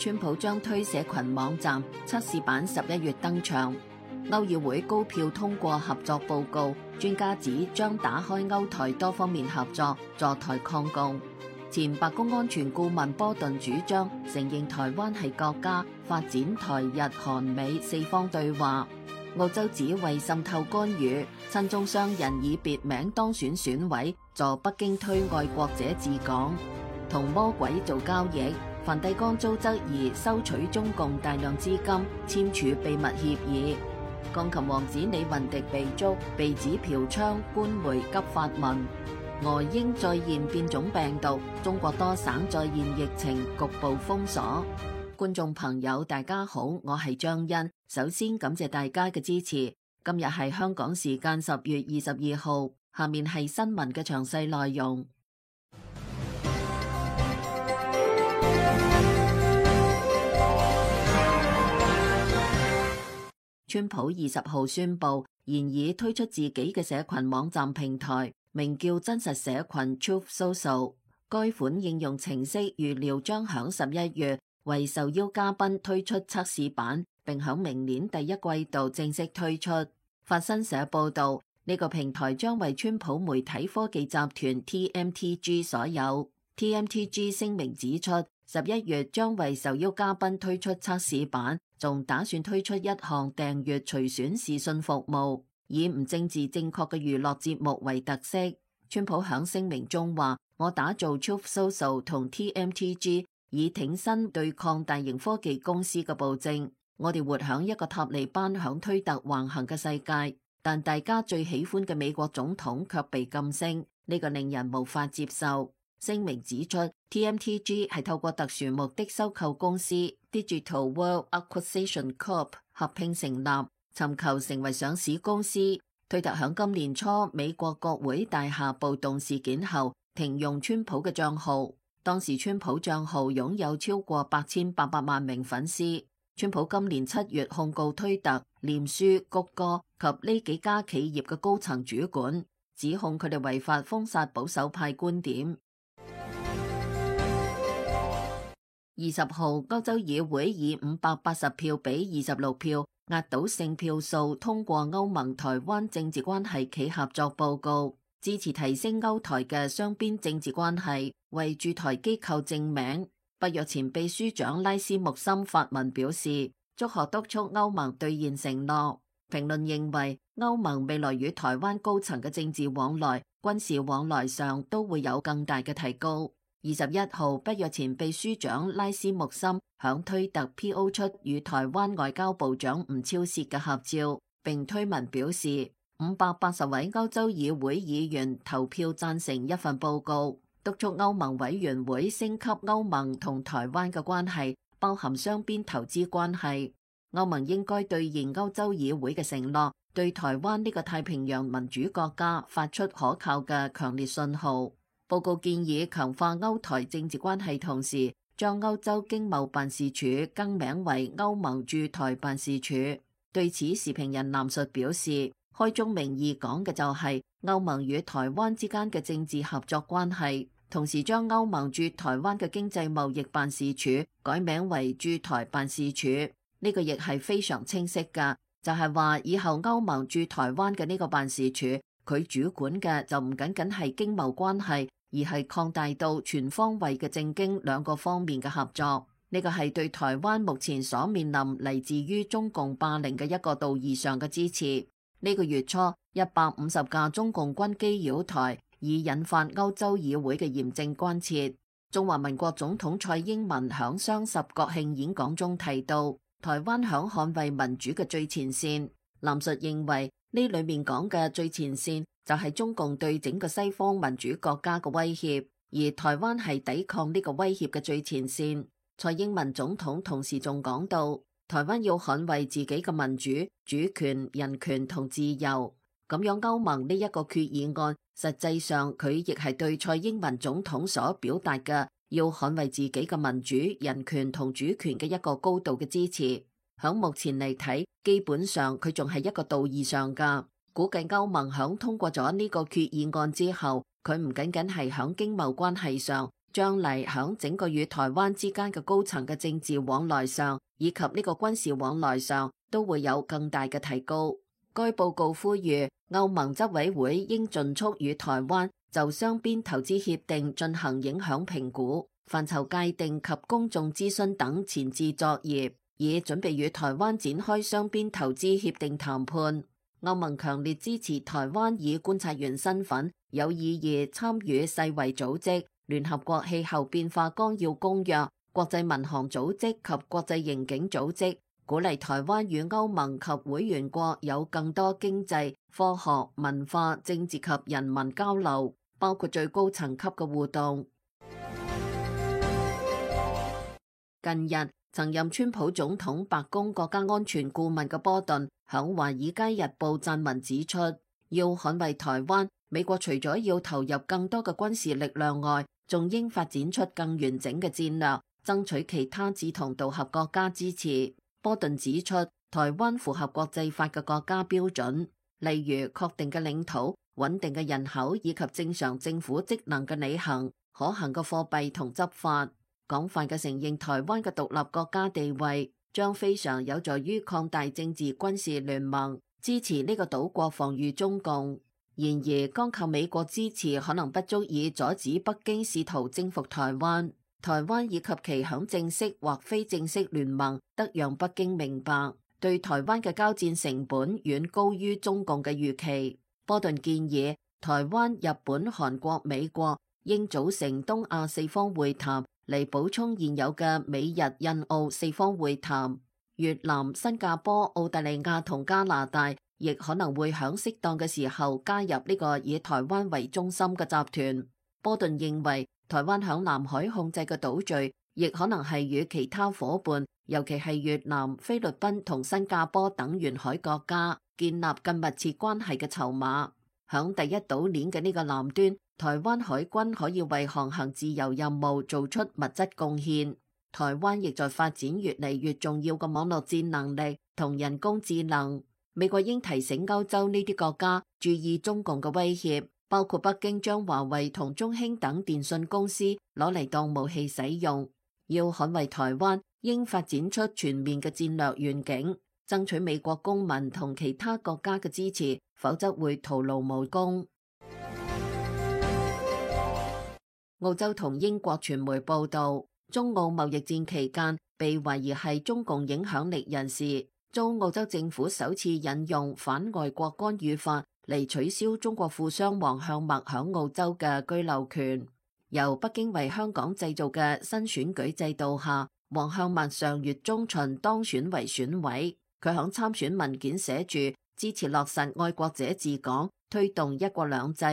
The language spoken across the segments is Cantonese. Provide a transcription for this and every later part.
川普將推社群網站測試版11月登場。歐議會高票通過合作報告，專家指將打開歐台多方面合作，助台抗共。前白宮安全顧問波頓主張承認台灣係國家，發展台日韓美四方對話。澳洲指為滲透干預，親中商人以別名當選選委，助北京推愛國者治港。同魔鬼做交易，梵蒂岡遭質疑收取中共大量資金，簽署秘密協議。鋼琴王子李雲迪被捉，被指嫖娼，官媒急發文。俄英再現變種病毒，中國多省再現疫情，局部封鎖。觀眾朋友大家好，我係張欣，首先感謝大家嘅支持。今日係香港時間10月22號，下面係新聞嘅詳細內容。川普20號宣布，現已推出自己嘅社群網站平台，名叫真實社群 Truth Social。該款應用程式預料將響11月為受邀嘉賓推出測試版，並響明年第一季度正式推出。法新社報道，呢個平台將為川普媒體科技集團 TMTG 所有。TMTG 聲明指出，11月將為受邀嘉賓推出測試版，仲打算推出一項訂閱隨選視訊服務，以唔政治正確嘅娛樂節目為特色。川普響聲明中話：我打造 Truth Social 同 TMTG， 以挺身對抗大型科技公司嘅暴政。我哋活響一個塔利班響推特橫行嘅世界，但大家最喜歡嘅美國總統卻被禁聲，呢個令人無法接受。聲明指出 ，TMTG 係透過特殊目的收購公司 Digital World Acquisition Corp 合併成立，尋求成為上市公司。推特響今年初美國國會大廈暴動事件後停用川普嘅賬號，當時川普賬號擁有超過8800萬名粉絲。川普今年7月控告推特、臉書、谷歌及呢幾家企業嘅高層主管，指控佢哋違法封殺保守派觀點。20號，歐洲議會以580票比26票壓倒性票數通過歐盟台灣政治關係暨合作報告，支持提升歐台嘅雙邊政治關係，為駐台機構正名。北約前秘書長拉斯穆森發文表示，祝賀督促歐盟兌現承諾。評論認為，歐盟未來與台灣高層嘅政治往來、軍事往來上都會有更大嘅提高。21號，北約前秘書長拉斯穆森響推特 PO 出與台灣外交部長吳釗燮嘅合照，並推文表示580位歐洲議會議員投票贊成一份報告，督促歐盟委員會升級歐盟同台灣嘅關係，包含雙邊投資關係。歐盟應該兌現歐洲議會嘅承諾，對台灣呢個太平洋民主國家發出可靠嘅強烈信號。報告建議強化歐台政治關係，同時將歐洲經貿辦事處更名為歐盟駐台辦事處。對此，時評人藍述表示，開宗明義講嘅就係歐盟與台灣之間嘅政治合作關係，同時將歐盟駐台灣嘅經濟貿易辦事處改名為駐台辦事處。呢個亦係非常清晰㗎，就係話以後歐盟駐台灣嘅呢個辦事處，佢主管嘅就唔僅僅係經貿關係，而係擴大到全方位嘅政經兩個方面嘅合作。呢個係對台灣目前所面臨嚟自於中共霸凌嘅一個道義上嘅支持。呢個月初，150架中共軍機擾台，已引發歐洲議會嘅嚴正關切。中華民國總統蔡英文響雙十國慶演講中提到，台灣響捍衛民主嘅最前線。藍述認為呢裏面講嘅最前線就係中共對整個西方民主國家嘅威脅，而台灣係抵抗呢個威脅嘅最前線。蔡英文總統同時仲講到，台灣要捍衛自己嘅民主、主權、人權同自由。咁樣歐盟呢一個決議案，實際上佢亦係對蔡英文總統所表達嘅要捍衛自己嘅民主、人權同主權嘅一個高度嘅支持。響目前嚟睇，基本上佢仲係一個道義上㗎。估計歐盟響通過咗呢個決議案之後，佢唔僅僅係響經貿關係上，將嚟響整個與台灣之間嘅高層嘅政治往來上，以及呢個軍事往來上，都會有更大嘅提高。該報告呼籲歐盟執委會應盡速與台灣就雙邊投資協定進行影響評估、範疇界定及公眾諮詢等前置作業，以準備與台灣展開雙邊投資協定談判。歐盟強烈支持台灣以觀察員身份有意義參與世衛組織、聯合國氣候變化綱要公約、國際民航組織及國際刑警組織，鼓勵台灣與歐盟及會員國有更多經濟、科學、文化、政治及人民交流，包括最高層級嘅互動。近日，曾任川普總統白宮國家安全顧問嘅波頓響《華爾街日報》撰文指出，要捍衛台灣，美國除咗要投入更多嘅軍事力量外，仲應發展出更完整嘅戰略，爭取其他志同道合國家支持。波頓指出，台灣符合國際法嘅國家標準，例如確定嘅領土、穩定嘅人口以及正常政府職能嘅履行、可行嘅貨幣同執法。廣泛嘅承認台灣嘅獨立國家地位，將非常有助於擴大政治軍事聯盟，支持呢個島國防禦中共。然而，光靠美國支持可能不足以阻止北京試圖征服台灣。台灣以及其響正式或非正式聯盟，得讓北京明白，對台灣嘅交戰成本遠高於中共嘅預期。波頓建議台灣、日本、韓國、美國應組成東亞四方會談，嚟補充現有嘅美日印澳四方會談。越南、新加坡、澳大利亞同加拿大亦可能會響適當嘅時候加入呢個以台灣為中心嘅集團。波頓認為，台灣響南海控制嘅島嶼，亦可能係與其他夥伴，尤其係越南、菲律賓同新加坡等沿海國家建立更密切關係嘅籌碼。響第一島鏈嘅呢個南端，台灣海軍可以為航行自由任務做出物質貢獻。台灣亦在發展越嚟越重要嘅網絡戰能力同人工智能。美國應提醒歐洲呢啲國家注意中共嘅威脅，包括北京將華為同中興等電信公司攞嚟當武器使用。要捍衛台灣，應發展出全面嘅戰略願景，爭取美國公民同其他國家嘅支持，否則會徒勞無功。澳洲同英國傳媒報道，中澳貿易戰期間，被懷疑係中共影響力人士，遭澳洲政府首次引用反外國干預法嚟取消中國富商黃向墨響澳洲嘅居留權。由北京為香港製造嘅新選舉制度下，黃向墨上月中旬當選為選委。佢響參選文件寫住支持落實愛國者治港，推動一國兩制，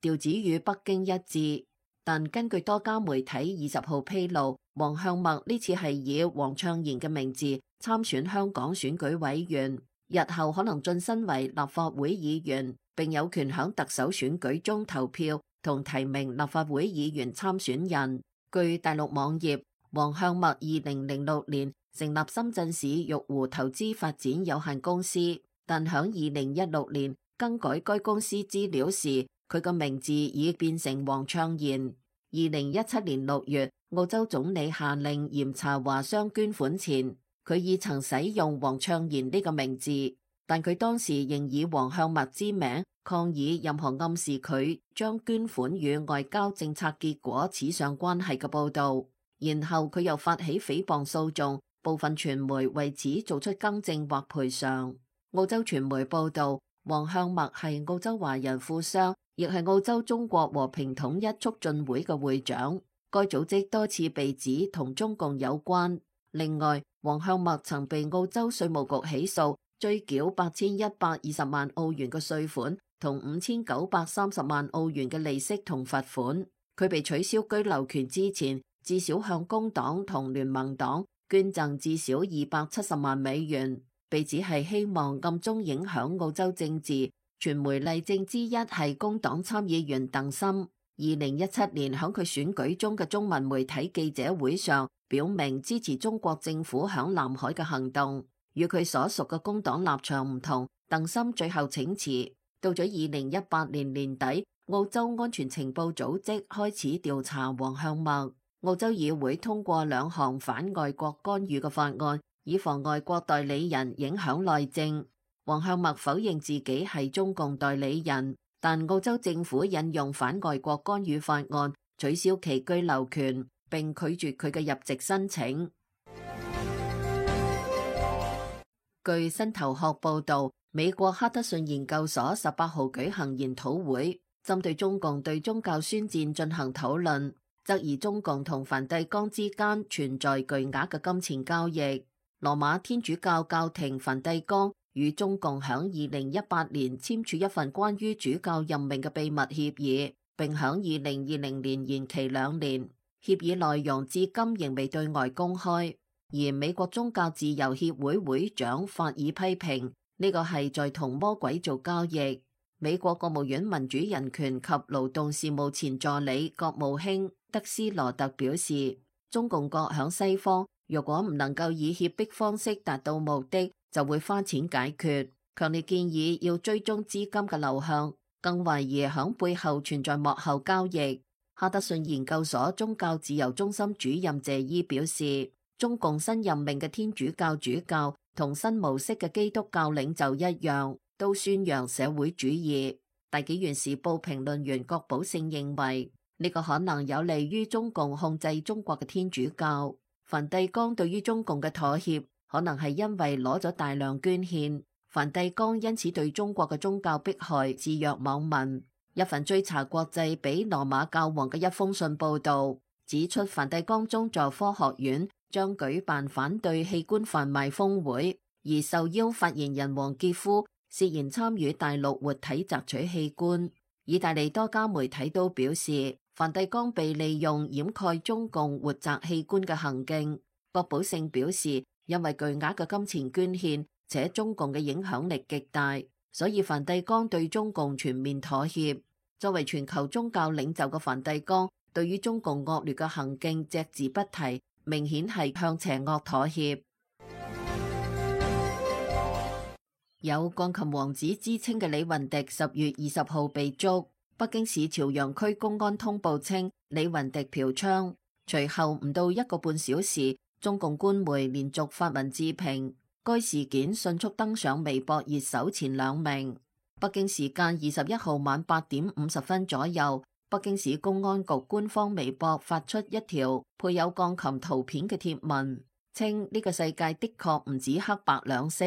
調子與北京一致。但根據多家媒體20號披露，黃向墨呢次係以黃倡賢嘅名字參選香港選舉委員，日後可能晉身為立法會議員，並有權響特首選舉中投票同提名立法會議員參選人。據大陸網頁，黃向墨2006年成立深圳市玉湖投資發展有限公司，但響2016年更改該公司資料時，佢個名字已變成黃倡賢。2017年6月，澳洲總理下令嚴查華商捐款前，佢已曾使用黃倡賢呢個名字，但佢當時仍以黃向墨之名抗議任何暗示佢將捐款與外交政策結果扯上關係嘅報導。然後佢又發起誹謗訴訟，部分傳媒為此做出更正或賠償。澳洲傳媒報導，黃向墨係澳洲華人富商，亦係澳洲中國和平統一促進會嘅會長。該組織多次被指同中共有關。另外，黃向墨曾被澳洲稅務局起訴，追繳8120萬澳元嘅稅款同5930萬澳元嘅利息同罰款。佢被取消居留權之前，至少向工黨同聯盟黨捐贈至少270萬美元。被指係希望暗中影響澳洲政治。傳媒例證之一係工黨參議員鄧森，2017年響佢選舉中嘅中文媒體記者會上，表明支持中國政府響南海嘅行動。與佢所屬嘅工黨立場唔同，鄧森最後請辭。到咗2018年年底，澳洲安全情報組織開始調查黃向墨。澳洲議會通過2項反外國干預嘅法案，以防外國代理人影響內政。黃向墨否認自己係中共代理人，但澳洲政府引用反外國干預法案，取消其居留權，並拒絕佢嘅入籍申請。據新頭殼報道，美國哈德遜研究所18號舉行研討會，針對中共對宗教宣戰進行討論，質疑中共同梵蒂岡之間存在巨額嘅金錢交易。羅馬天主教教廷梵蒂岡與中共響2018年簽署一份關於主教任命嘅秘密協議，並響2020年延期2年。協議內容至今仍未對外公開。而美國宗教自由協會會長法爾批評呢個係在同魔鬼做交易。美國國務院民主人權及勞動事務前助理國務卿德斯羅特表示，中共國響西方若果唔能夠以脅迫方式達到目的，就會花錢解決。強烈建議要追蹤資金嘅流向，更懷疑響背後存在幕後交易。哈德遜研究所宗教自由中心主任謝伊表示，中共新任命嘅天主教主教同新模式嘅基督教領袖一樣，都宣揚社會主義。大紀元時報評論員郭寶勝認為，呢個可能有利於中共控制中國嘅天主教。梵蒂岡對於中共嘅妥協，可能係因為攞咗大量捐獻，梵蒂岡因此對中國嘅宗教迫害置若罔聞。一份追查國際俾羅馬教皇嘅一封信報導指出，梵蒂岡宗座科學院將舉辦反對器官販賣峰會，而受邀發言人黃傑夫涉嫌參與大陸活體摘取器官。意大利多家媒體都表示，梵蒂岡被利用掩蓋中共活摘器官嘅行徑。郭寶勝表示，因為巨額嘅金錢捐獻，且中共嘅影響力極大，所以梵蒂岡對中共全面妥協。作為全球宗教領袖嘅梵蒂岡，對於中共惡劣嘅行徑隻字不提，明顯係向邪惡妥協。有鋼琴王子之稱嘅李雲迪10月20號被捉。北京市朝陽區公安通報稱，李雲迪嫖娼。隨後唔到1個半小時，中共官媒連續發文置評，該事件迅速登上微博熱搜前2名。北京時間21號晚8點50分左右，北京市公安局官方微博發出一條配有鋼琴圖片嘅貼文，稱呢個世界的確唔止黑白兩色，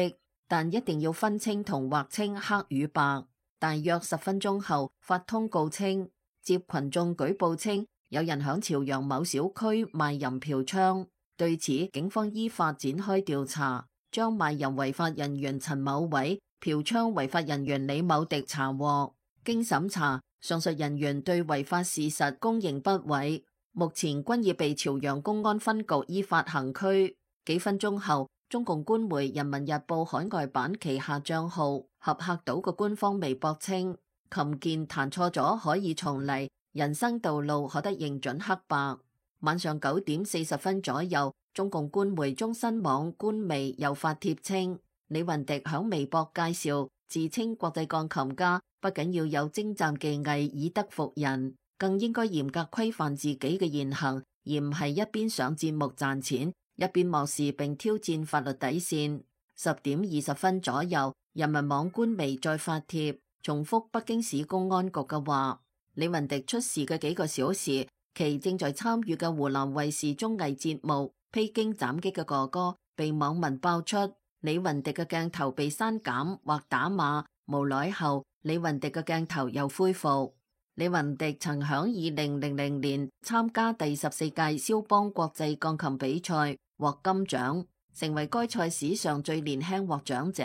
但一定要分清同劃清黑與白。大約10分鐘後，發通告稱，接群眾舉報稱有人響朝陽某小區賣淫嫖娼，對此警方依法展開調查，將賣淫違法人員陳某偉、嫖娼違法人員李某迪查獲。經審查，上述人員對違法事實供認不諱，目前均已被朝陽公安分局依法行拘。幾分鐘後，中共官媒《人民日報》海外版旗下賬號合客島嘅官方微博稱，琴鍵彈錯咗可以重嚟，人生道路可得認準黑白。晚上9點40分左右，中共官媒中新網官微又發帖稱，李雲迪響微博介紹，自稱國際鋼琴家，不僅要有精湛技藝以德服人，更應該嚴格規範自己嘅言行，而唔係一邊上節目賺錢，一邊漠視並挑戰法律底線。10點20分左右，人民網官微再發帖，重複北京市公安局嘅話。李雲迪出事嘅幾個小時，其正在參與嘅湖南衛視綜藝節目《披荊斬棘嘅哥哥》被網民爆出李雲迪嘅鏡頭被刪減或打碼，無耐後李雲迪嘅鏡頭又恢復。李雲迪曾響2000年參加第14屆肖邦國際鋼琴比賽，獲金獎，成為該賽史上最年輕獲獎者。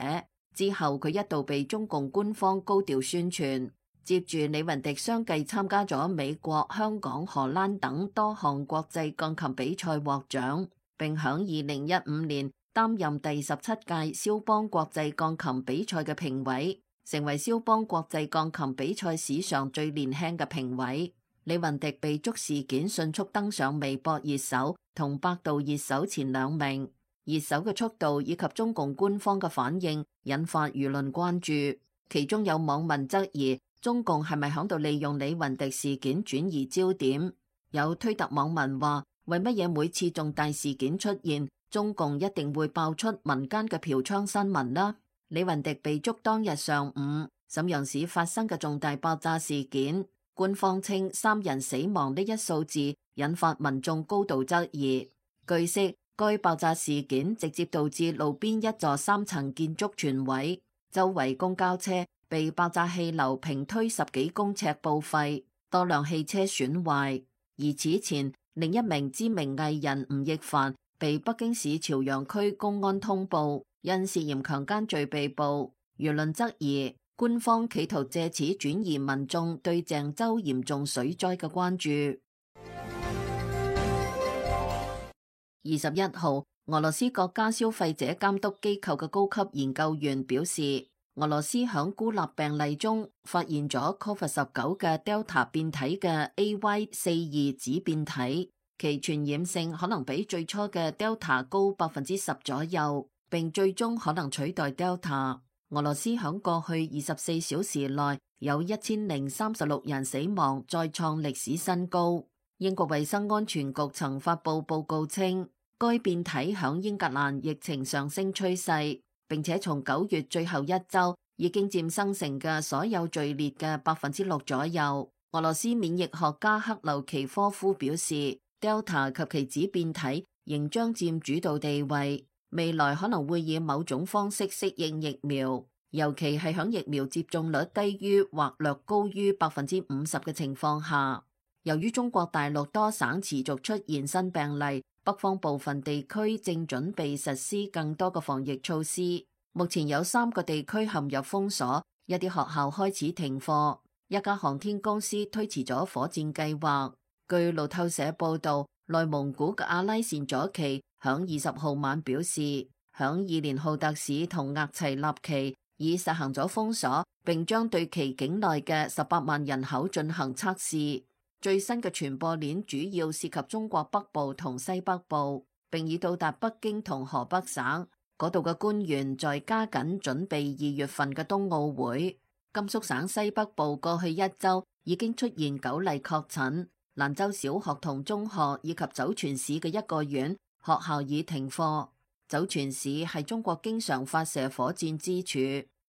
之後佢一度被中共官方高調宣傳。接住李雲迪相繼參加咗美國、香港、荷蘭等多項國際鋼琴比賽獲獎，並響2015年擔任第17屆肖邦國際鋼琴比賽嘅評委，成為肖邦國際鋼琴比賽史上最年輕嘅評委。李雲迪被捉事件迅速登上微博熱搜同百度熱搜前2名，熱搜嘅速度以及中共官方嘅反應引發輿論關注，其中有網民質疑中共係咪響度利用李雲迪事件轉移焦點？有推特網民話：為乜嘢每次重大事件出現，中共一定會爆出民間嘅嫖娼新聞呢？李雲迪被捉當日上午，瀋陽市發生嘅重大爆炸事件，官方稱3人死亡呢一數字引發民眾高度質疑。據悉，該爆炸事件直接導致路邊一座3層建築全毀，周圍公交車被爆炸氣流平推10幾公尺報廢，多輛汽車損壞。而此前，另一名知名藝人吳亦凡被北京市朝陽區公安通報，因涉嫌強姦罪被捕。輿論質疑官方企圖借此轉移民眾對鄭州嚴重水災嘅關注。21號，俄羅斯國家消費者監督機構嘅高級研究員表示，俄羅斯響孤立病例中發現咗 COVID-19 嘅 Delta 變體嘅 AY42 子變體，其傳染性可能比最初嘅 Delta 高10%左右，並最終可能取代 Delta。俄羅斯響過去24小時內有1036人死亡，再創歷史新高。英國衛生安全局曾發佈報告稱，該變體響英格蘭疫情上升趨勢，並且從9月最後一周已經佔生成嘅所有序列嘅6%左右。俄羅斯免疫學家克留奇科夫表示， Delta 及其子變體仍將佔主導地位，未來可能會以某種方式適應疫苗，尤其係響疫苗接種率低於或略高於50%嘅情況下。由於中國大陸多省持續出現新病例，北方部分地區正準備實施更多嘅防疫措施。目前有3個地區陷入封鎖，一啲學校開始停課，一家航天公司推遲咗火箭計劃。據路透社報道，內蒙古嘅阿拉善左旗響20號晚表示，響伊連浩特市同額齊納旗已實行咗封鎖，並將對其境內嘅18萬人口進行測試。最新嘅傳播鏈主要涉及中國北部同西北部，並已到達北京同河北省。嗰度嘅官員在加緊準備2月份嘅冬奧會。甘肅省西北部過去一周已經出現9例確診，蘭州小學同中學以及酒泉市嘅一個縣學校已停課。酒泉市係中國經常發射火箭之處。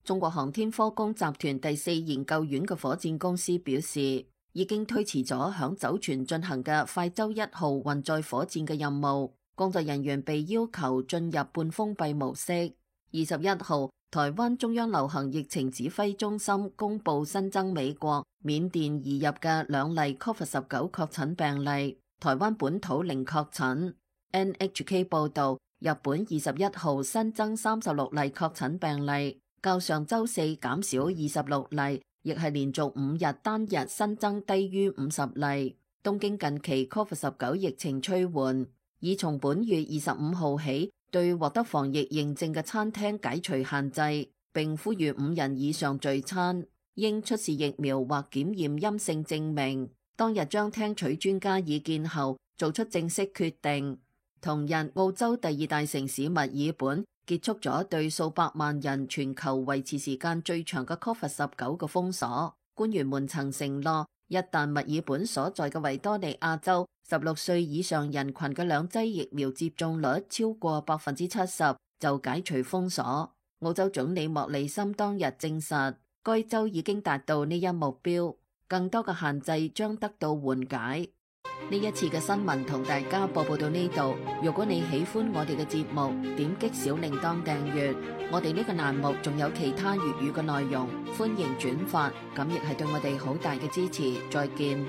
中國航天科工集團第4研究院嘅火箭公司表示，已經推遲咗響酒泉進行嘅快舟1號運載火箭嘅任務，工作人員被要求進入半封閉模式。21號，台灣中央流行疫情指揮中心公布新增美國、緬甸移入嘅2例 COVID-19 確診病例，台灣本土零確診。NHK 報道，日本21號新增36例確診病例，較上週四減少26例。亦係連續5日單日新增低於50例。東京近期 COVID-19 疫情趨緩，已從本月25號起對獲得防疫認證嘅餐廳解除限制，並呼籲5人以上聚餐應出示疫苗或檢驗陰性證明。當日將聽取專家意見後做出正式決定。同日，澳洲第2大城市墨爾本結束咗對數百萬人全球維持時間最長嘅 COVID-19 嘅封鎖。官員們曾承諾，一旦墨爾本所在嘅維多利亞州16歲以上人群嘅2劑疫苗接種率超過70%，就解除封鎖。澳洲總理莫里森當日證實，該州已經達到呢一目標，更多嘅限制將得到緩解。呢一次嘅新聞同大家報告到呢度。如果你喜歡我哋嘅節目，點擊小鈴鐺訂閱。我哋呢個欄目仲有其他粵語嘅內容，歡迎轉發，咁亦係對我哋好大嘅支持。再見。